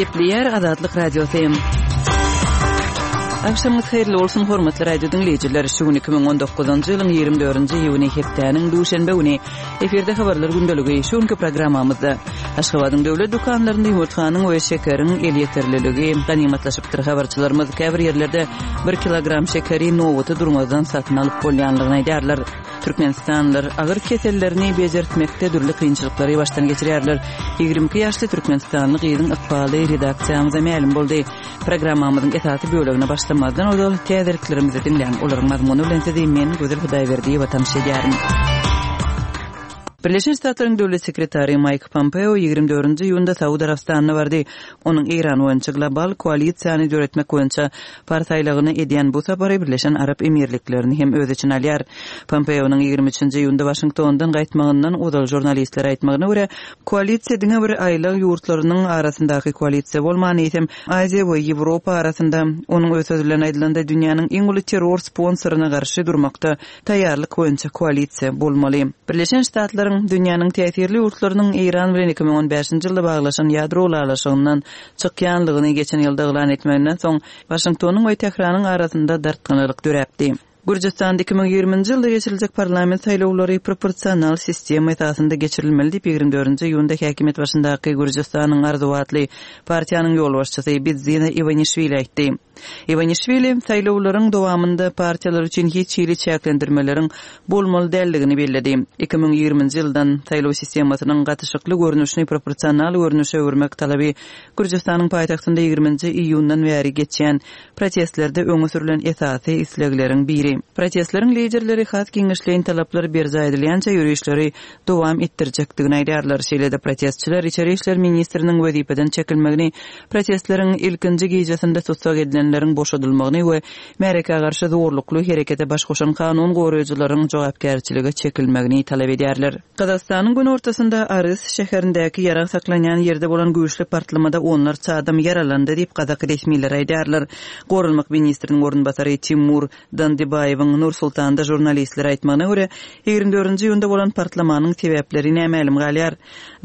Gepleýär Azatlyk Radiosy. Agşamyňyz haýyrly bolsun, hormatly radio diňleýjiler! Şu gün 2019-njy ýylyň 24-nji iýuny, hepdäniň duşenbe güni. Efirde habarlar gündeligi. Şu günki programmamyzda Aşgabadyň döwlet dükanlarynda ýumurtganyň we şekeriň elýeterliligi ganymatlaşypdyr. Habarçylarymyz käbir ýerlerde bir kilogram şekeri nobata durmazdan satyn alyp bolýanlygyny aýdýarlar. Türkmenistanlylar agyr kesellerini bejertmekde dürli kynçylyklary başdan geçirýärler. 22 ýaşly türkmenistanly gyzyň ykbaly redaksiýamyza mälim boldy. Programmamyzyň esasy bölegine başlamazdan ozal täzeliklerimizi diňläň. Olaryň mazmuny bilen sizi men, Gözel Hudaýberdiýewa tanyş edýärin. Birleşen Ştatlaryň Döwlet sekretary Maýk Pompeo 24-nji iýunda Saud Arabystanyna bardy. Onuň Eýran boýunça global koalisiýany döretmek boýunça Pars aýlagyna edýän bu sapary Birleşen Arap Emirliklerini hem öz içine alýar. Pompeonyň 23-nji iýunda Waşingtondan gaýtmagyndan ozal žurnalistlere aýtmagyna görä, koalisiýa diňe bir aýlag ýurtlarynyň arasyndaky koalisiýa bolman, eýsem, Aziýa we Ýewropa arasynda, onuň öz sözi bilen aýdylanda, dünýäniň iň uly terror sponsoryna garşy durmakda taýýarlyk boýunça koalisiýa bolmaly. Birleşen Ştatlaryň, dünýäniň täsirli ýurtlarynyň Eýran bilen 2015-nji ýylda baglaşan ýadro ylalaşygyndan çykýanlygyny geçen ýylda yglan etmeginden soň, Waşingtonyň we Tähranyň arasynda dartgynlylyk döräpdi. Gürjüstanda 2020-nji ýylda geçiriljek parlament saýlawlary proporsional sistema esasynda geçirilmeli diýip, 24-nji iýunda häkimiýet başyndaky Gürjüstanyň arzuwy atly partiýanyň ýolbaşçysy Bidzina Iwanişwili aýtdy. Iwanişwili saýlawlaryň dowamynda partiýalar üçin hiç hili çäklendirmeleriň bolmaly däldigini belledi. 2020-nji ýyldan saýlaw sistemasynyň gatyşykly görnüşini proporsional görnüşe öwürmek talaby Gürjüstanyň paýtagtynda ýigriminji iýundan bäri geçýän protestlerde öňe sürlen esasy islegleriň biri. Protestleriň liderleri has giňişleýin talaplar berjaý edilýänçä ýörişleri dowam etdirjekdigini aýdýarlar. Şeýle-de protestçiler içeri işler ministriniň wezipeden çekilmegini, protestleriň ilkinji gijesinde tussag edilenleriň boşadylmagyny we märekä garşy zorlukly herekete baş goşan kanun goraýjylaryň jogapkärçilige çekilmegini talap edýärler. Gazagystanyň günortasynda Arys şäherindäki ýarag saklanýan ýerde bolan güýçli partlamada onlarça adam ýaralandy diýip, gazak resmileri aýdýarlar. Goranmak ministriniň orunbasary Timur Dandybaýewiň Nur-Sultanda žurnalistlere aýtmagyna görä, 24-nji iýunda bolan partlamanyň sebäpleri nämälim galýar.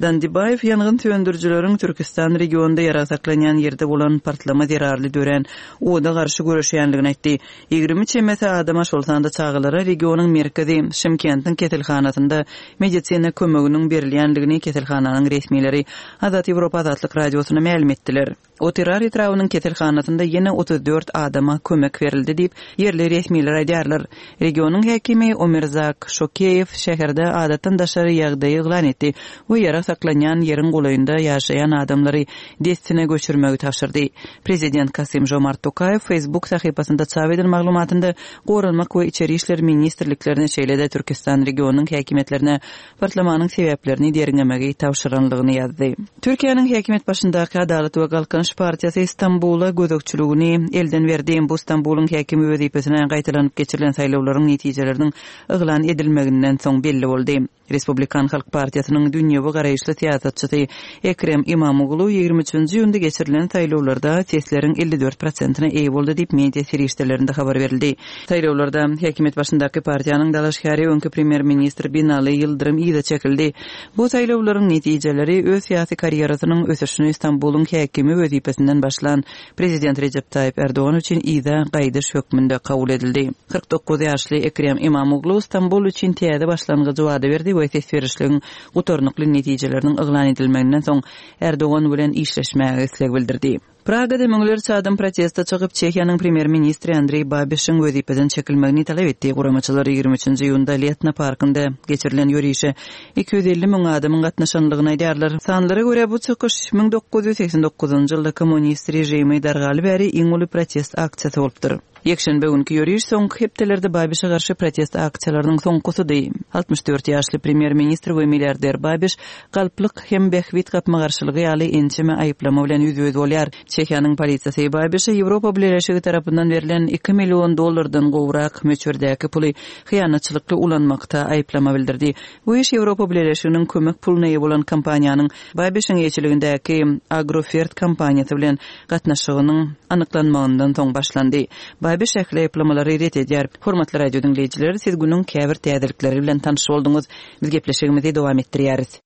Dandybaýew ýangyn söndürijileriň Türkistan regionynda ýarag saklanýan ýerde bolan partlama zerarly dörän oda garşy göreşýändigini aýtdy. 20 çemesi adama, şol sanda çagalara regionyň merkezi, Şymkentiň keselhanasynda medisina kömeginiň berilýändigini keselhananyň resmileri Azat Ýewropa Azatlyk Radiosyna mälim etdiler. Otyrar etrabynyň keselhanasynda ýene 34 adama kömek berildi diýip, ýerli resmiler aýdýarlar. Regionyň häkimi Omirzak Şokeýew şäherde adatdan daşary ýagdaýy yglan etdi we ýarag saklanýan ýeriň golaýynda ýaşaýan adamlary dessine göçürmegi tabşyrdy. Prezident Kasym-Žomart Tokaýew Facebook sahypasynda çap eden maglumatynda Goranmak we Içeri işler ministrliklerine, şeýle-de Türkistan regionynyň häkimiýetlerine Partlamanyň sebäplerini derňemegi tabşyranlygyny ýazdy. Türkiýäniň häkimiýet başyndaky Adalat we Galkynyş partiýasy Stambula gözegçiligini elden berdi. Bu Stambulyň häkimi wezipesine gaýtalanyp geçirilen saýlawlaryň netijeleriniň yglan edilmeginden soň belli boldy. Respublikan halk partiýasynyň dünýewi garaýyşly syýasatçysy Ekrem Imamoglu 23-nji iýunda geçirilen saýlawlarda sesleriň 54 prosentine eýe boldy diýip, media serişdelerinde habar berildi. Saýlawlarda häkimiýet başyndaky partiýanyň dalaşgäri öňki premýer-ministr Binali Ýyldyrym yza çekildi. Bu saýlawlaryň netijeleri öz syýasy karýerasynyň ösüşini Stambulyň häkimi wezipesinden başlan prezident Rejep Taýyp Ärdogan üçin yza gaýdyş hökmünde kabul edildi. 49 ýaşly Ekrem Imamoglu Stambul üçin täze başlangyjy wada berdi we ses berişligiň gutarnykly netijeleriniň yglan edilmeginden soň Ärdogan bilen işleşmäge isleg bildirdi. Pragada müňlerçe adam proteste çykyp, Çehiýanyň premýer-ministri Andreý Babişiň wezipeden çekilmegini talap etdi. Guramaçylar 23-nji iýunda Letna parkynda geçirilen ýörişe 250 müň adamyň gatnaşanlygyny aýdýarlar. Sanlara görä, bu çykyş 1989-njy ýylda kommunist režimi dargaly bäri iň uly protest aksiýasy bolupdyr. Ýekşenbe günki ýöriş soňky hepdelerde Babişe garşy protest aksiýalarynyň soňkusydy. 64 ýaşly premýer-ministr we milliarder Babiş galplyk hem bähbit gapma-garşylygy ýaly ençeme aýyplama bilen ýüzbe-ýüz bolýar. Çehiýanyň polisiýasy Babişe Ýewropa Bileleşigi tarapyndan berlen iki million dollardan gowrak möçberdäki puly hyýanatçylykly ulanmakda aýyplama bildirdi. Bu iş Ýewropa Bileleşiginiň kömek puluna eýe bolan kompaniýanyň Babişiň eýeçiligindäki Agrofert kompaniýasy bilen gatnaşygynyň anyklanmagyndan soň başlandy. Babiş ähli aýyplamalary ret edýär. Hormatly radio diňleýjiler, siz günüň käbir täzelikleri bilen tanyş bolduňyz. Biz gepleşigimizi dowam etdirýäris.